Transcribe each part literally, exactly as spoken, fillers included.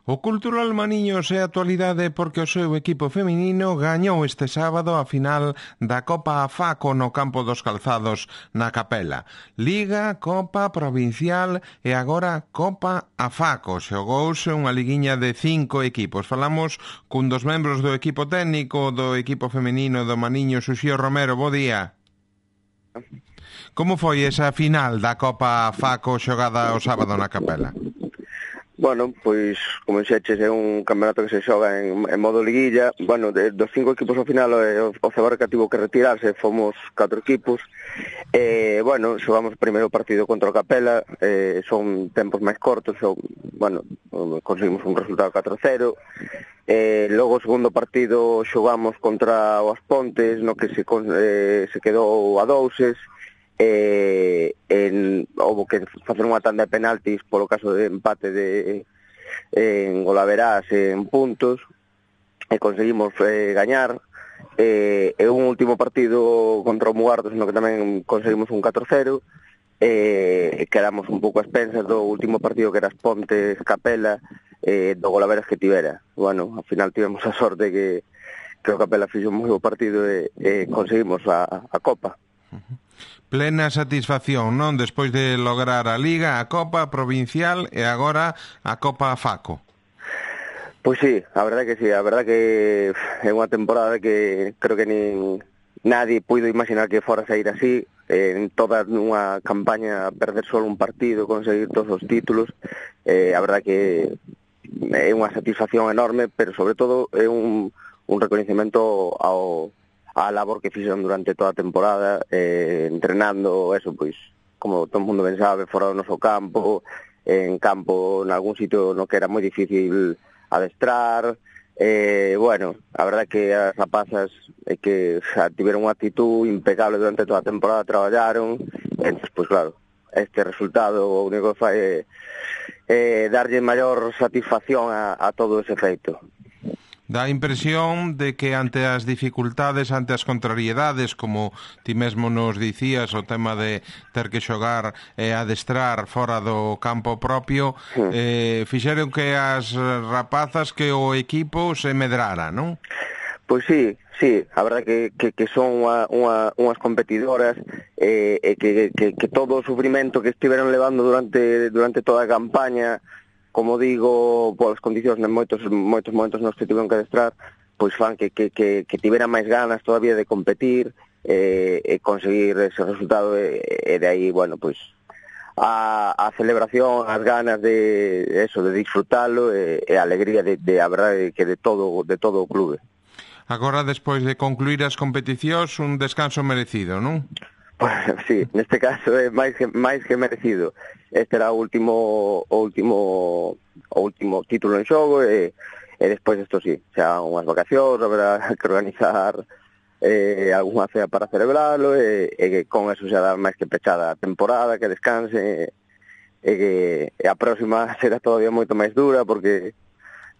O Cultural Maniños é a actualidade porque o seu equipo feminino gañou este sábado a final da Copa Afaco no campo dos Calzados na Capela. Liga, Copa Provincial e agora Copa Afaco. Xogouse unha liguiña de cinco equipos. Falamos cun dos membros do equipo técnico do equipo feminino do Maniños, Uxío Romero. Bo día. Como foi esa final da Copa Afaco xogada o sábado na Capela? Bueno, pois, como dixeches, é un campeonato que se xoga en, en modo liguilla. Bueno, de, dos cinco equipos ao final, o, o Cebarra que tivo que retirarse, fomos catro equipos. E, bueno, xogamos o primeiro partido contra o Capela, eh, son tempos máis cortos, son, bueno, conseguimos un resultado catro cero. Eh, logo o segundo partido xogamos contra o As Pontes, no que se, eh, se quedou a douses. Eh, en, houve que facer unha tanda de penaltis polo caso de empate de en golaverás en puntos e conseguimos eh, gañar eh, e un último partido contra o Mugardos no que tamén conseguimos un catro cero e eh, quedamos un pouco a expensas do último partido que era As Pontes Capela eh, do golaveras que tivera. Bueno, ao final tivemos a sorte que, que o Capela fixo un moi bo partido e, e conseguimos a, a Copa. Uh-huh. Plena satisfacción, non? Despois de lograr a Liga, a Copa Provincial e agora a Copa Afaco. Pois sí, a verdade que sí, a verdade que é unha temporada que creo que nin nadie puido imaginar que fora sair así, en toda unha campaña perder solo un partido, conseguir todos os títulos, eh, a verdade que é unha satisfacción enorme, pero sobre todo é un, un recoñecemento ao a labor que fixeron durante toda a temporada, eh, entrenando, eso, pois, como todo o mundo ben sabe, fora do noso campo, en campo, en algún sitio no que era moi difícil adestrar, eh, bueno, a verdade que as rapazas é que xa tiveron unha actitud impecable durante toda a temporada, traballaron, e, pois claro, este resultado o único que fai é eh, darlle maior satisfacción a, a todo ese feito. Dá a impresión de que ante as dificultades, ante as contrariedades, como ti mesmo nos dicías, o tema de ter que xogar e adestrar fora do campo propio, sí. eh, fixeron que as rapazas, que o equipo se medrara, non? Pois sí, sí, a verdade que, que, que son unha, unha, unhas competidoras e eh, que, que, que todo o sufrimento que estiveron levando durante, durante toda a campaña, como digo, polas condicións en moitos moitos momentos nos que tiveron que adestrar, pois fan que, que, que, que tiveran máis ganas todavía de competir eh, e conseguir ese resultado e, e de aí, bueno, pois a, a celebración, as ganas de eso, de disfrutalo e, e a alegría de, de a verdade que de todo, de todo o clube. Agora, despois de concluir as competicións, un descanso merecido, non? Pues, sí, neste caso é máis que, máis que merecido. Este era o último o último o último título en xogo e, e despois isto sí, xa unhas vacacións, haberá que organizar eh, algunha cea para celebrarlo e, e que con eso xa dá máis que pechada a temporada, que descanse e que e a próxima será todavía moito máis dura porque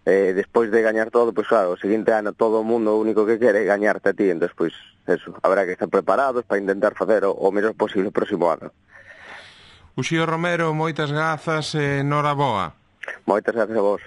eh, despois de gañar todo, pois claro, o seguinte ano todo o mundo o único que quere é gañarte a ti, entón pois eso, habrá que estar preparados para intentar facer o, o mellor posible o próximo ano. Uxío Romero, moitas grazas e noraboa. Moitas grazas a vos.